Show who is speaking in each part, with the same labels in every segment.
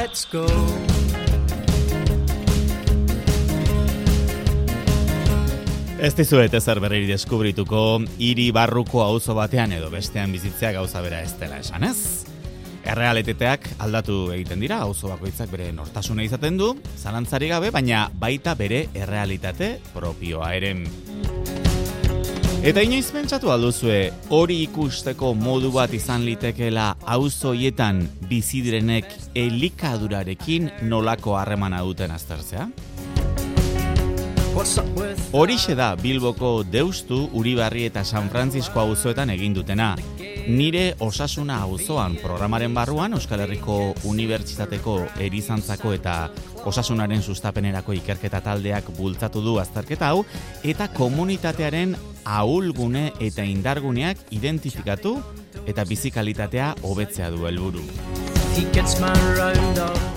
Speaker 1: Let's go.
Speaker 2: Ez dizuet ezer berri deskubrituko, hiri barruko auzo batean edo bestean bizitzea gauza bera ez dela esan, ez? Errealitateak aldatu egiten dira, auzo bakoitzak bere nortasuna izaten du, zalantzari gabe, baina baita bere errealitate propioa ere. Eta inoiz pentsatu alduzue, hori ikusteko modu bat izan litekeela auzo hoietan bizi direnek elikadurarekin nolako harremana duten aztertzea? Horixe da Bilboko Deustu, Uribarri eta San Francisco auzoetan egin dutena. Nire osasuna auzoan programaren barruan Euskal Herriko Unibertsitateko Erizantzako eta Osasunaren sustapenerako ikerketa taldeak bultzatu du azterketa hau eta komunitatearen ahulgune eta indarguneak identifikatu eta bizikalitatea hobetzea du helburu.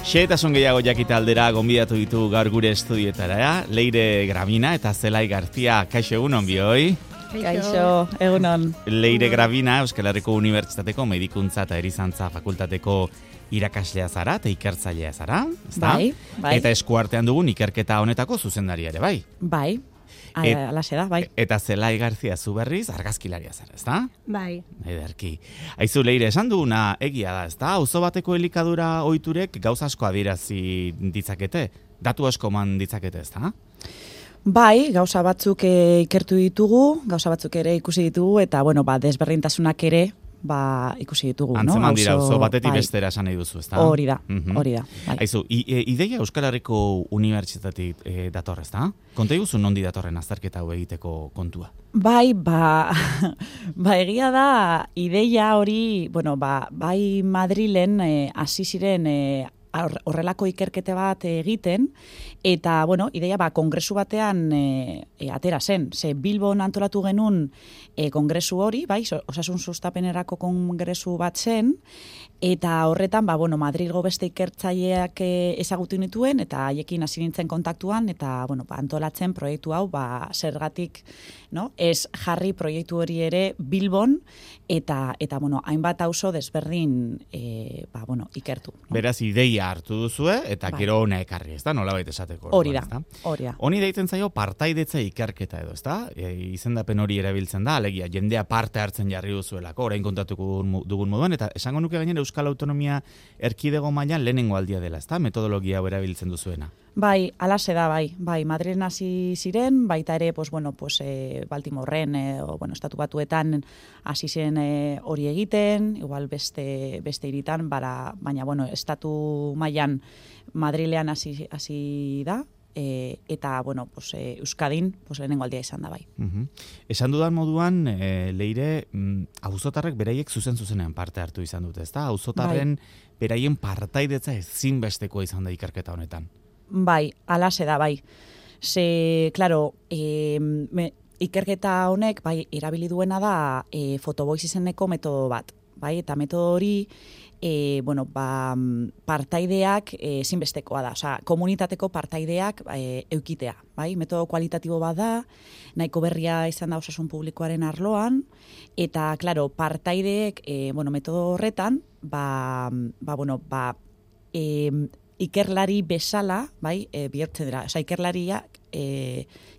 Speaker 2: Xehetasun gehiago jakita aldera gonbidatu ditu gaur gure estudietara, Leire Gravina eta Zelai Garzia. Kaixo, egunon bioi?
Speaker 3: Kaixo, egunon.
Speaker 2: Leire Gravina, Euskal Herriko Unibertsitateko Medikuntza eta Erizantza Fakultateko irakaslea zara eta ikertzailea zara, ezta?
Speaker 3: Bai.
Speaker 2: Eta eskuartean dugun ikerketa honetako zuzendaria ere, bai?
Speaker 3: Bai. Alaxe da, bai.
Speaker 2: Eta Zelai Garzia zu berriz argazkilaria zara, ezta?
Speaker 4: Bai.
Speaker 2: Ederki. Aizu, Leire, esan duguna egia da, ezta? Auzo bateko elikadura ohiturek gauza asko adierazi ditzakete, datu asko eman ditzakete, ezta?
Speaker 3: Bai, gauza batzuk ikertu ditugu, gauza batzuk ere ikusi ditugu, eta, desberdintasunak ere, ikusi ditugu,
Speaker 2: Antzeman dira, auzo batetik bestera esan nahi duzu, ezta?
Speaker 3: Hori da, hori da. Bai.
Speaker 2: Aizu, ideia Euskal Herriko Unibertsitatetik dator, ezta? Konta iguzu nondi datorren azterketa hau egiteko kontua?
Speaker 3: Bai, egia da, ideia hori, bai Madrilen hasi ziren horrelako ikerkete bat egiten, eta, ideia, kongresu batean atera zen. Ze Bilbon antolatu genuen kongresu hori, bai, osasun sustapenerako kongresu bat zen, eta horretan, Madrilgo beste ikertzaileak ezagutu nituen, eta haiekin hasi nintzen kontaktuan, eta, antolatzen proiektu hau, zergatik, ez jarri proiektu hori ere Bilbon, eta hainbat auzo desberdin, ikertu.
Speaker 2: Beraz, ideia hartu duzue, eta gero hona ekarri, ez da? Nolabait esateko.
Speaker 3: Hori da.
Speaker 2: Honi deitzen zaio partaidetza ikerketa edo, ez da? Izendapen hori erabiltzen da, alegia, jendea parte hartzen jarri duzuelako, orain kontatuko dugun moduan, eta esango nuke gainera Euskal Autonomia Erkidego mailan lehenengo aldia dela, ez da? Metodologia hau erabiltzen duzuena.
Speaker 3: Bai, alaxe da, bai, Madrilen hasi ziren, baita ere, Baltimorren, Estatu Batuetan hasi ziren hori egiten, igual beste hiritan, baina, Estatu mailan Madrilean hasi da, eta, Euskadin, lehenengo aldia izan da, bai.
Speaker 2: Esan dudan moduan, Leire, auzotarrek beraiek zuzenean parte hartu izan dute, ezta? Auzotarren beraien partaidetza ezinbestekoa izan da ikerketa honetan.
Speaker 3: Bai, alaxe da, bai. Ze, klaro, ikerketa honek, erabili duena da fotoboiz izeneko metodo bat, bai, eta metodo hori, partaideak ezinbestekoa da, osea, komunitateko partaideak eukitea, bai, metodo kualitatibo bat da, nahiko berria izan da osasun publikoaren arloan, eta, klaro, partaideek, metodo horretan, ikerlari bezala, bihurtzen dira, osea, ikerlariak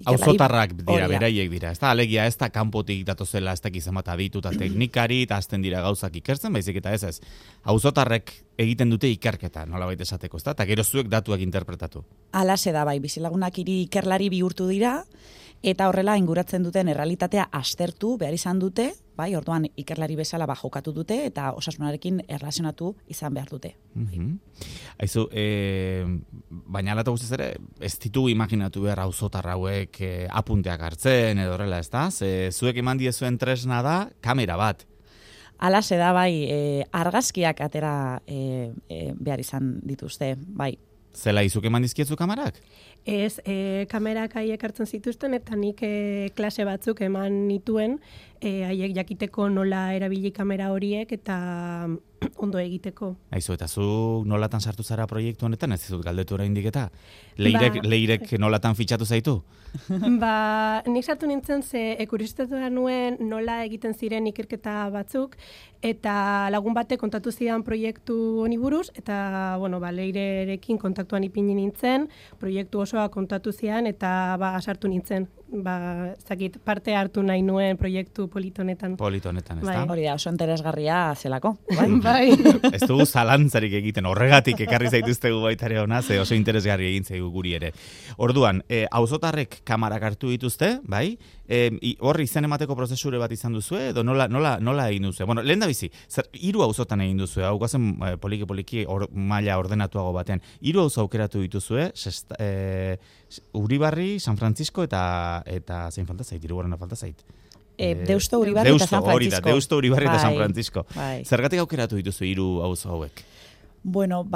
Speaker 2: auzotarrak dira, beraiek dira, ez da, alegia ez da kanpotik datozela ez dakizen bat aditu eta teknikari eta azten dira gauzak ikertzen, baizik eta ez, auzotarrek egiten dute ikerketa, nolabait esateko, ez da, eta gero zuek datuak interpretatu.
Speaker 3: Alaxe da, bizilagunak ikerlari bihurtu dira, eta horrela inguratzen duten errealitatea aztertu behar izan dute, orduan ikerlari bezala jokatu dute, eta osasunarekin erlazionatu izan behar dute.
Speaker 2: Aizu, baina alata guztiz ere, ez ditugu imaginatu behar auzotar hauek apunteak hartzen, edo horrela, ez da? Zuek eman diezuen tresna da, kamera bat.
Speaker 3: Alaxe da, argazkiak atera behar izan dituzte, bai.
Speaker 2: Zela izuk eman dizkiezu kamerak?
Speaker 4: Ez, kamerak haiek hartzen zituzten, eta nik klase batzuk eman nituen, haiek jakiteko nola erabili kamera horiek, eta ondo egiteko.
Speaker 2: Aizu, eta zu nolatan sartu zara proiektu honetan, ez dizut galdetu oraindik eta? Leirek nolatan fitxatu zaitu?
Speaker 4: Nik sartu nintzen ze kuriositatea nuen nola egiten ziren ikerketa batzuk, eta lagun batek kontatu zidan proiektu honi buruz, eta, bueno, Leirerekin kontaktuan ipini nintzen, proiektu osoa kontatu zidan, eta sartu nintzen. Zakit, parte hartu nahi nuen proiektu politonetan.
Speaker 2: Politonetan, ez da?
Speaker 3: Hori da, oso interesgarria zelako.
Speaker 4: Bai.
Speaker 2: Ez dugu zalantzarik egiten, horregatik ekarri zaituztegu baitare hona, ze oso interesgarri egin zaigu guri ere. Orduan, auzotarrek kamarak hartu dituzte, bai? Hor izen emateko prozesure bat izan duzu, edo nola egin duzu? Bueno, lehen da bizi, 3 auzotan egin duzu, hau gazen poliki maila ordenatuago batean. 3 auzo aukeratu dituzue, Uribarri, San Francisco eta zein falta zait, hirugarrena falta zait.
Speaker 3: Deusto, Uribarri eta San Francisco.
Speaker 2: Deusto, Uribarri eta San Francisco.
Speaker 3: Bai.
Speaker 2: Zergatik aukeratu dituzu 3 auzo hauek?
Speaker 3: Bueno,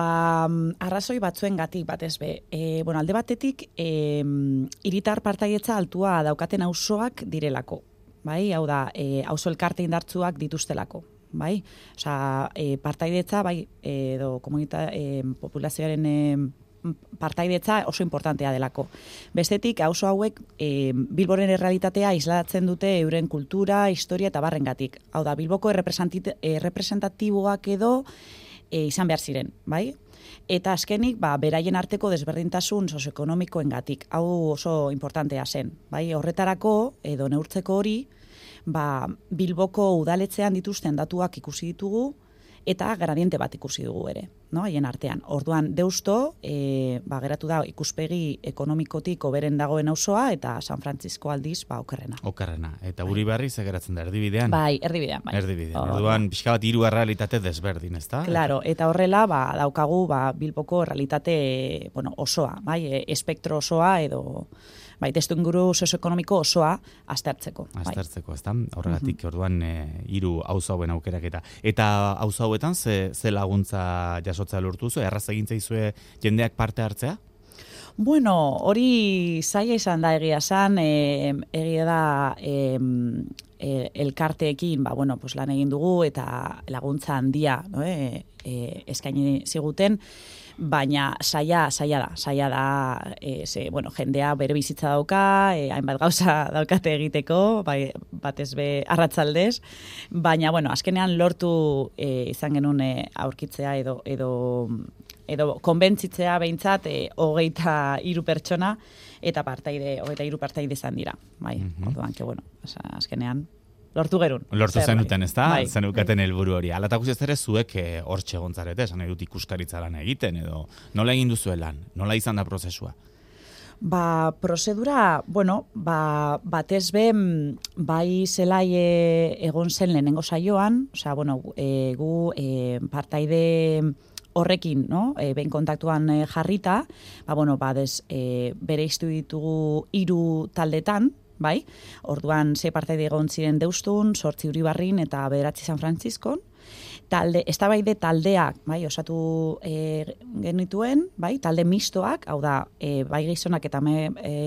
Speaker 3: arrazoi batzuengatik batez be. Alde batetik, hiritar partaietza altua daukaten auzoak direlako. Bai, hau da, auzo elkarte indartsuak dituztelako. Bai, osea, partaidetza, bai, edo populazioaren partaidetza oso importantea delako. Bestetik, auzo hauek Bilboren errealitatea islatzen dute euren kultura, historia eta barrengatik. Hau da, Bilboko representatiboak edo izan behar ziren, bai? Eta azkenik, beraien arteko desberdintasun sozioekonomikoengatik. Hau oso importantea zen, bai? Horretarako edo neurtzeko hori, Bilboko udaletzean dituzten datuak ikusi ditugu, eta gradiente bat ikusi dugu ere, no? Haien artean. Orduan, Deusto, geratu da ikuspegi ekonomikotik hoberen dagoen auzoa, eta San Francisco aldiz, okerrena.
Speaker 2: Okerrena. Eta Uribarri ze geratzen da, erdibidean?
Speaker 3: Bai, erdibidean, bai.
Speaker 2: Erdibidean. Orduan, pixka bat 3 errealitate desberdin, ezta?
Speaker 3: Claro, eta horrela, daukagu, Bilboko errealitate, osoa, bai, espektro osoa, edo testuinguru sozioekonomiko osoa aztertzeko.
Speaker 2: Aztertzeko, ezta? Horregatik, orduan, 3 auzo hauen aukeraketa. Eta auzo hauetan, ze laguntza jasotzea lortu zu? Erraz egin zaizue jendeak parte hartzea?
Speaker 3: Bueno, hori zaila izan da egia esan, egia da elkarteekin, lan egin dugu eta laguntza handia, eskaini ziguten, baina zaila da, jendea bere bizitza dauka, hainbat gauza daukate egiteko, batez be arratsaldez, baina, azkenean lortu izan genuen aurkitzea edo konbentzitzea behintzat 23 pertsona eta 23 partaide izan dira. Bai, orduan, azkenean lortu gerun.
Speaker 2: Lortu zenuten, ez da? Zenukaten helburu hori. Alata guztiaz ere zuek hortxe gontzarete, esan nahi dut ikuskaritza lan egiten, edo nola egin duzuen lan? Nola izan da prozesua?
Speaker 3: Prozedura, batez be, bai zelai egon zen lehenengo saioan, gu partaide horrekin, behin kontaktuan jarrita, bereiztu ditugu 3 taldetan, bai? Orduan, 6 partaide egon ziren Deustun, 8 Uribarrin eta 9 San Franciscon. Eztabaide taldeak, bai, osatu genituen, bai, talde mistoak, hau da, bai gizonak eta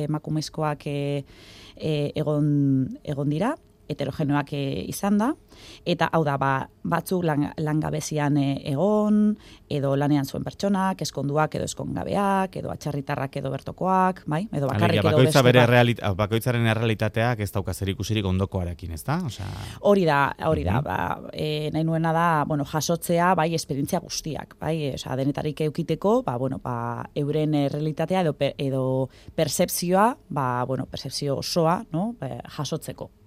Speaker 3: emakumezkoak egon dira, heterogenoak izan da, eta hau da, batzuk langabezian egon, edo lanean zuen pertsonak, eskonduak edo eskongabeak, edo atxarritarrak edo bertokoak, bai, edo bakarrik edo bestuak.
Speaker 2: Bakoitzaren errealitateak ez dauka zer ikusirik ondokoarekin, ez da?
Speaker 3: Hori da, nahi nuena da, jasotzea, bai, esperientzia guztiak, bai, denetarik eukiteko, euren errealitatea edo percepzioa, percepzio osoa, jasotzeko.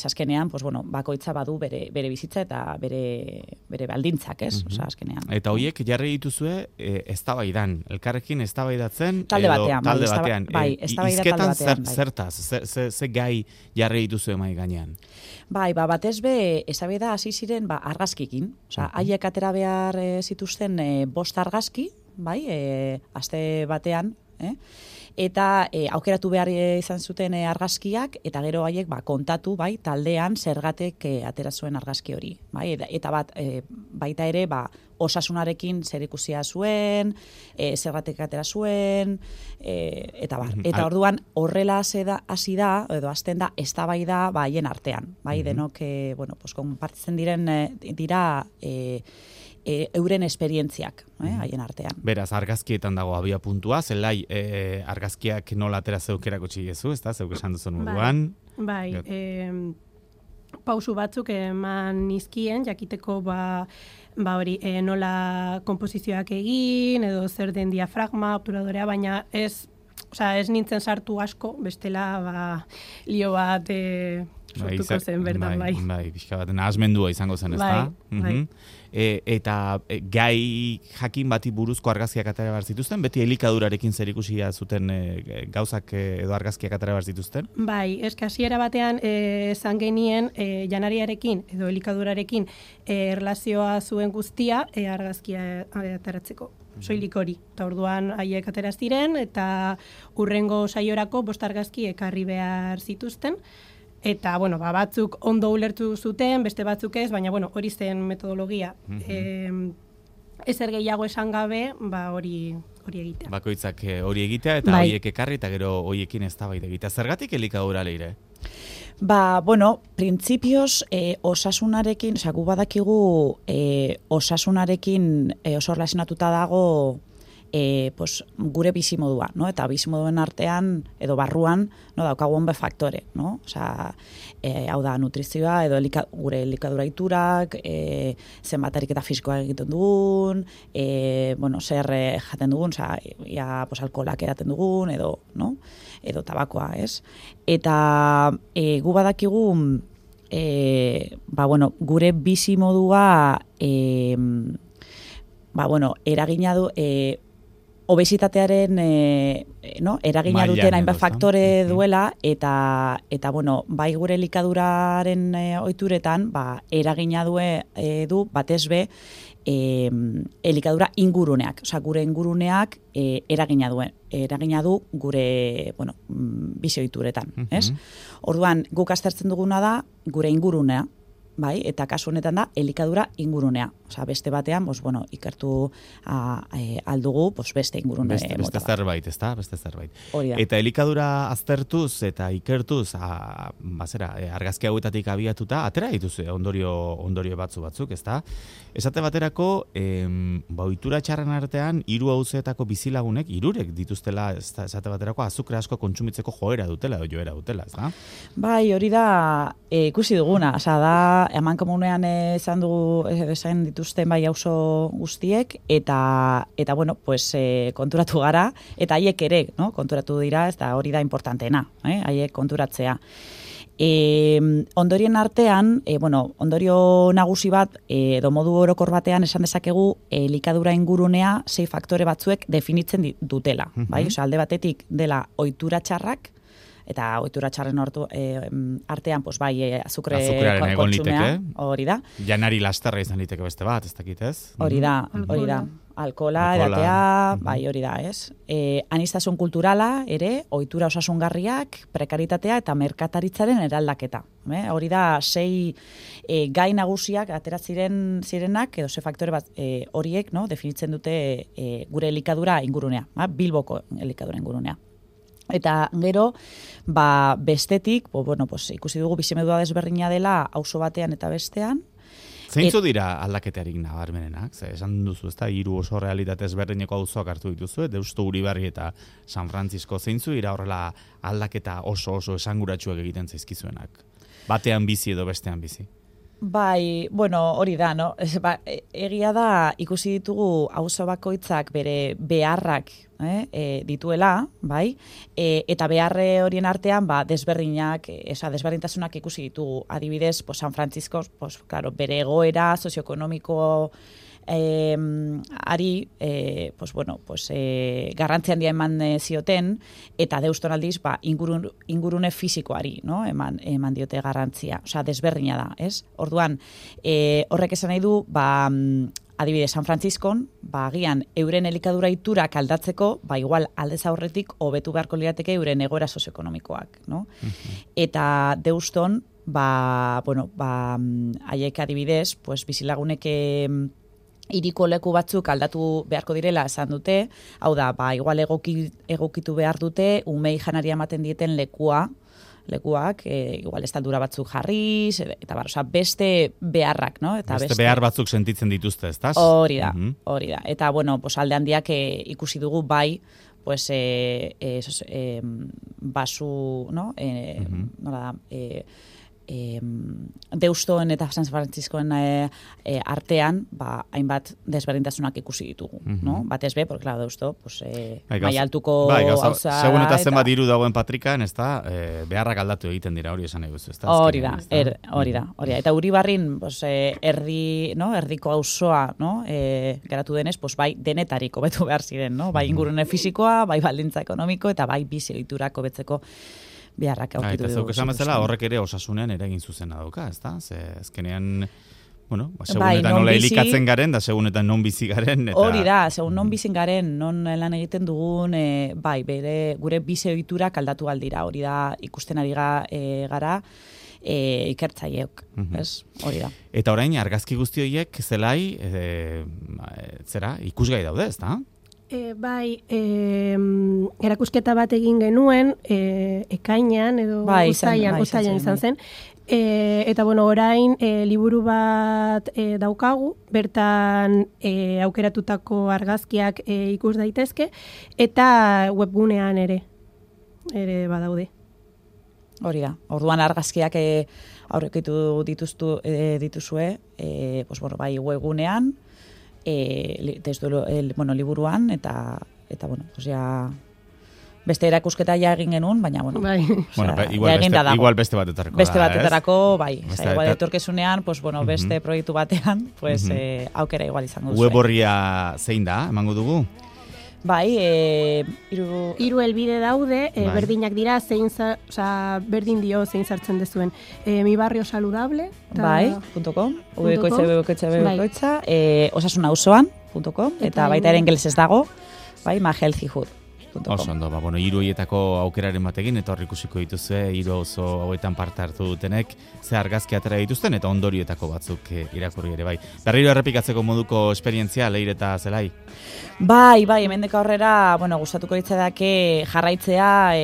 Speaker 3: Azkenean, bakoitza badu bere bizitza eta bere baldintzak, ez? Azkenean.
Speaker 2: Eta hoiek jarri dituzue eztabaidan, elkarrekin eztabaidatzen
Speaker 3: talde batean.
Speaker 2: Bai,
Speaker 3: eztabaida talde batean.
Speaker 2: Zertaz, ze gai jarri dituzue mai gainean?
Speaker 3: Bai, batez be, eztabaida hasi ziren argazkikin. Haiek atera behar zituzten 5 argazki, bai, aste batean, eta aukeratu behar izan zuten argazkiak, eta gero haiek kontatu, bai, taldean zergatek atera zuen argazki hori. Bai, eta baita ere, osasunarekin zer ikusia zuen, zergatek atera zuen, eta bar. Eta orduan horrela hasi da, edo hasten da, eztabaida haien artean. Bai, denok, konpartitzen dira euren esperientziak, haien artean.
Speaker 2: Beraz, argazkietan dago abia puntua, zelai argazkiak nola atera zeukerako txigezu, ez da, zeuk esan duzun moduan?
Speaker 4: Bai, pausu batzuk eman nizkien, jakiteko hori nola konposizioak egin, edo zer den diafragma, obturadorea, baina ez nintzen sartu asko, bestela lio bat sortuko zen bertan, bai.
Speaker 2: Bai, pixka bat, nahasmendua izango zen, ez da?
Speaker 4: Bai.
Speaker 2: Eta gai jakin bati buruzko argazkiak atera behar zituzten, beti elikadurarekin zerikusia zuten gauzak edo argazkiak atera behar zituzten?
Speaker 4: Bai, hasiera batean esan genien janariarekin edo elikadurarekin erlazioa zuen guztia argazkia ateratzeko. Soilik hori. Eta orduan haiek atera ziren eta hurrengo saiorako 5 argazki ekarri behar zituzten. Eta, batzuk ondo ulertu zuten, beste batzuk ez, baina, hori zen metodologia. Ezer gehiago esan gabe, hori egitea.
Speaker 2: Bakoitzak hori egitea, eta horiek ekarri, eta gero horiekin eztabaida egitea. Zergatik elikadura, Leire?
Speaker 3: Printzipioz, osasunarekin, gu badakigu osasunarekin oso relacionatuta dago gure bizimodua, no? Eta bizimoduen artean edo barruan, no, daukagu honbe faktore, no? Hau da nutrizioa edo gure elikadura iturak, zenbat ariketa fisikoa egiten dugun, zer jaten dugun, alkoholak edaten dugun edo, no? Edo tabakoa, ez? Eta gu badakigu gure bizimodua eragina du obesitatearen eragina duten hainbat faktore duela eta bai gure elikaduraren ohituretan eragina du batez be elikadura inguruneak, gure inguruneak eragina du gure bizi ohituretan, ez? Orduan guk aztertzen duguna da gure ingurunea, bai, eta kasu honetan da elikadura ingurunea. Beste batean, ikertu aldugu, beste ingurune mota bat.
Speaker 2: Beste zerbait, ez da? Beste zerbait.
Speaker 3: Hori da.
Speaker 2: Eta elikadura aztertuz eta ikertuz, argazki hauetatik abiatuta, atera dituzu ondorio batzuk, ez da? Esate baterako, ohitura txarren artean, 3 auzoetako bizilagunek, 3 dituztela, esate baterako, azukre asko kontsumitzeko joera dutela, ez da?
Speaker 3: Bai, hori da ikusi duguna, da eman komunean esan dituzten bai auzo guztiek eta konturatu gara eta haiek ere, no? Konturatu dira, ez da hori da importanteena, haiek konturatzea. Ondorien artean, ondorio nagusi bat edo modu orokor batean esan dezakegu elikadura ingurunea 6 faktore batzuek definitzen dutela, bai? Alde batetik dela ohitura txarrak, eta ohitura txarren artean, azukre kontsumea, hori da.
Speaker 2: Janari lasterra izan liteke beste bat, ez dakit ez?
Speaker 3: Hori da. Alkohola, edatea, bai, hori da, ez? Aniztasun kulturala, ere, ohitura osasungarriak, prekaritatea eta merkataritzaren eraldaketa. Hori da, 6 gai nagusiak atera zirenak, edo 6 faktore bat horiek, definitzen dute gure elikadura ingurunea, Bilboko elikadura ingurunea. Eta gero, bestetik, ikusi dugu bizimodua desberdina dela auzo batean eta bestean.
Speaker 2: Zeintzu dira aldaketarik nabarmenenak? Esan duzu, ez da, 3 oso realitate ezberdineko auzoak hartu dituzu, Deustu, Uribarri eta San Francisco. Zeintzu dira horrela aldaketa oso esanguratsuak egiten zaizkizuenak? Batean bizi edo bestean bizi?
Speaker 3: Bai, hori da, no? Egia da, ikusi ditugu auzo bakoitzak bere beharrak dituela, bai? Eta beharre horien artean, desberdintasunak ikusi ditugu. Adibidez, San Francisco, bere egoera sozioekonomiko ari garrantzi handia eman zioten eta Deuston aldiz ingurune fisikoari, no? eman diote garrantzia, desberdina da, ez? Orduan, horrek esan nahi du, adibidez, San Franciscon, agian euren elikadura iturak aldatzeko, igual aldez aurretik hobetu beharko lirateke euren egoera sozioekonomikoak, no? Eta Deuston, haiek adibidez, bizilagunek hiriko leku batzuk aldatu beharko direla esan dute, hau da, igual egokitu behar dute, umei janaria ematen dieten lekuak, igual estaldura batzuk jarriz, eta beste beharrak, no?
Speaker 2: Beste behar batzuk sentitzen dituzte, ez da?
Speaker 3: Hori da. Eta, alde handiak ikusi dugu basu, no? Nola da, Deustoen eta San Franciscoen artean, hainbat desberdintasunak ikusi ditugu, no? Batez be, porque claro, Deusto, pues maila altuko gauza.
Speaker 2: Segun eta zenbat diru dagoen Patrikan, ezta, beharrak aldatu egiten dira, hori esan nahi guzu, ezta?
Speaker 3: Hori da. Eta Uribarrin, pues erdiko auzoa, no? Geratu denez, pues bai denetarik hobetu behar ziren, no? Bai ingurune fisikoa, bai baldintza ekonomiko eta bai bizi ohiturak hobetzeko beharrak aurkitu dugu.
Speaker 2: Eta zeuk esan bezala horrek ere osasunean eragin zuzena dauka, ezta? Ze azkenean, segunetan nola elikatzen garen, da segunetan non bizi garen.
Speaker 3: Hori da, segun non bizi garen, non lan egiten dugun, gure bizi ohiturak aldatu aldira. Hori da, ikusten ari gara, ikertzaileok, ez? Hori da.
Speaker 2: Eta orain, argazki guzti horiek zelai, ikusgai daude, ezta?
Speaker 4: Erakusketa bat egin genuen, ekainan edo uztailan izan zen. Eta orain liburu bat daukagu, bertan aukeratutako argazkiak ikus daitezke, eta webgunean ere badaude.
Speaker 3: Hori da, orduan argazkiak aurrekitu dituzue, bai webgunean, liburuan, eta beste erakusketa ja egin genuen, baina,
Speaker 2: igual beste batetarako.
Speaker 3: Beste batetarako, bai. Igual etorkezunean, beste proiektu batean, aukera igual izango duzu.
Speaker 2: Web horria zein da, emango dugu?
Speaker 4: Bai, hiru helbide daude, berdinak dira, berdin dio zein sartzen dezuen. Mi barrio saludable.
Speaker 3: .com, www.osasunauzoan.com, eta baita ere ingelesez dago, myhealthyhood.com.
Speaker 2: Oso ondo, hiru horietako aukeraren batekin, eta hor ikusiko dituzue, hiru auzo hauetan parte hartu dutenek, ze argazki atera dituzten, eta ondorioetako batzuk irakurri ere bai. Berriro errepikatzeko moduko esperientzia, Leire eta Zelai?
Speaker 3: Bai, hemendeka aurrera, gustatuko litzateke jarraitzea,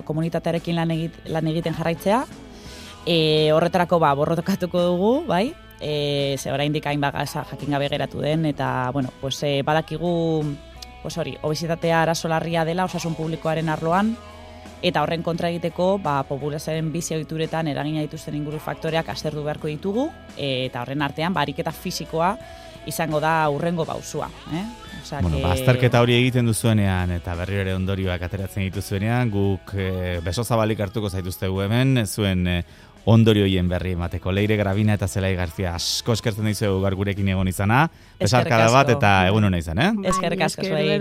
Speaker 3: komunitatearekin lan egiten jarraitzea, horretarako borrokatuko dugu, bai, ze oraindik hainbat gauza jakin gabe geratu den, eta, badakigu, obesitatea arazo larria dela osasun publikoaren arloan, eta horren kontra egiteko, populazioaren bizi ohituretan eragina dituzten inguru faktoreak aztertu beharko ditugu, eta horren artean, ariketa fisikoa izango da hurrengo pausua.
Speaker 2: Azterketa hori egiten duzuenean, eta berriro ere ondorioak ateratzen dituzuenean, guk beso zabalik hartuko zaituztegu hemen, zuen ondorioien berri emateko. Leire Gravina eta Zelai Garzia, asko eskertzen dizuegu gaur gurekin egon izana. Besarkada bat eta egun hona izan,
Speaker 3: Eskerrik asko zuei.